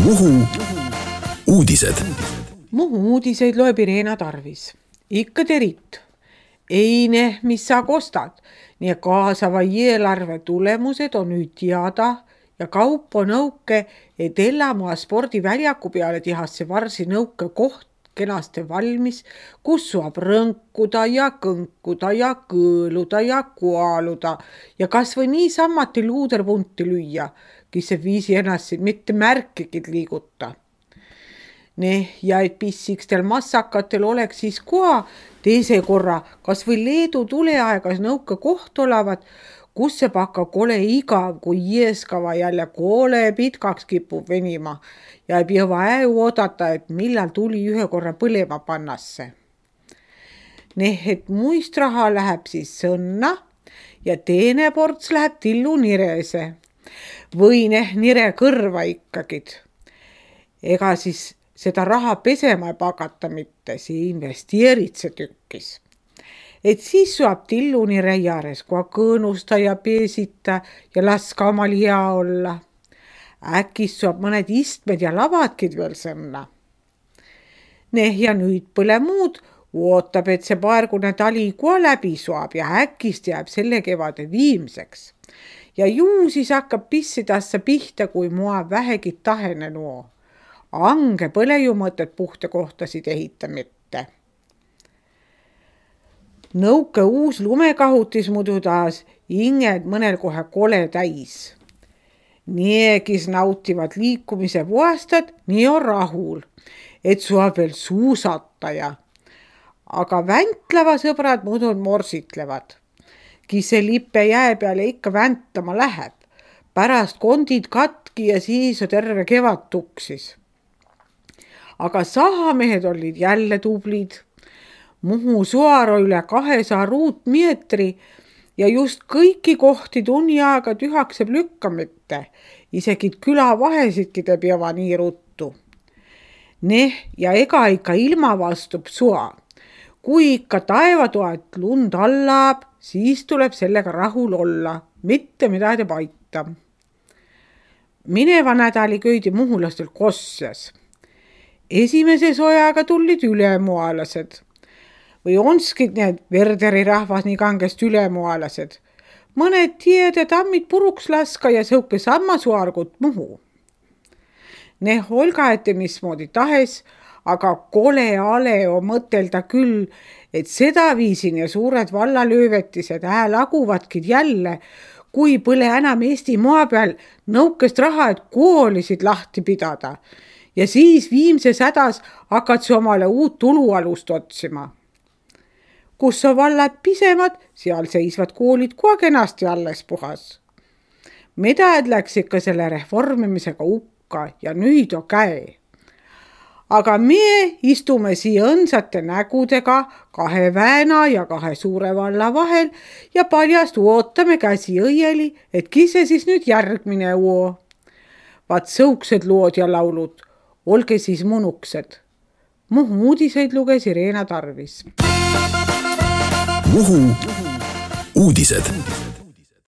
Muhu uudised. Muhu uudiseid loeb Irena Tarvis. Ikka terit. Eine, mis sa kostad. Nii kaasava eelarve tulemused on nüüd teada ja kaup on nõuke, et Ellamaa spordiväljaku peale tihasse varsi nõuke koht kenasti valmis, kus saab rõnkuda ja kõnkuda ja kõõluda ja kualuda ja kas või niisamati luuderpunti lüüa, kes see viisi ennast mitte märkigid liiguta. Ja et pissikstel massakatel oleks siis koha teise korra, kas või Leedu tuleaegas nõuke koht olevat, kus see pakka kole igav, kui jeeskava jälle koole pitkaks kipub venima ja ei pea äu odata, et millal tuli ühe korra põlema pannasse. Et muist raha läheb siis sõnna ja teine ports läheb tillu nirese või nire kõrva ikkagid. Ega siis seda raha pesema ei pakata mitte, see investeerid see tükkis. Et siis saab tillu nire jääres koha kõõnusta ja peesita ja laska omal hea olla. Äkis saab mõned istmed ja lavadkid veel sõnna. Ja nüüd põle muud, ootab, et see paargune tali koha läbi saab ja äkist jääb selle kevade viimseks. Ja ju siis hakkab pissidassa pihta, kui mua vähegi tahene nuo. Ange põle ju mõtet puhta kohtasid ehita mitte. Nõuke uus lumekahutis muidu taas inged mõnel kohe kole täis. Niegis nautivad liikumise puhastad, nii on rahul, et saab veel suusataja. Aga väntlava sõbrad muidu morsitlevad. Kise lippe jää peale ikka väntlama läheb. Pärast kondid katki ja siis on terve kevad tuksis. Aga sahamehed olid jälle tublid. Muhu suaro üle 200 ruutmeetri ja just kõiki kohti tunni aega tühakseb lükkamite. Isegi külavahesidki te peava nii ruttu. Ja ega ikka ilma vastub sua. Kui ikka taevatoat lund allaab, siis tuleb sellega rahul olla, mitte midagi paita. Mineva nädali köidi muhulastel Kossjas. Esimese sojaga tulid ülemualased. Või onskid need Verderi rahvas nii kangest ülemualased. Mõned tiede tammid puruks laska ja sõuke samma suargut Muhu. Olga ette mismoodi tahes, aga kole ale on mõtelda küll, et seda viisin ja suured vallalöövetised laguvadki jälle, kui põle enam Eesti maa peal nõukest raha, et koolisid lahti pidada. Ja siis viimses hädas hakkad see omale uut tulualust otsima. Kus on vallad pisemad, seal seisvad koolid kohe kenasti alles puhas. Medad läks ikka selle reformimisega hukka ja nüüd on käe. Aga me istume siia õnsate nägudega 2 Vääna ja 2 suure valla vahel ja paljast ootame käsi õieli, et kise siis nüüd järgmine uo. Vaat sõuksed lood ja laulud, olge siis munuksed. Muhu uudiseid luges Irena Tarvis. Muhu uudised.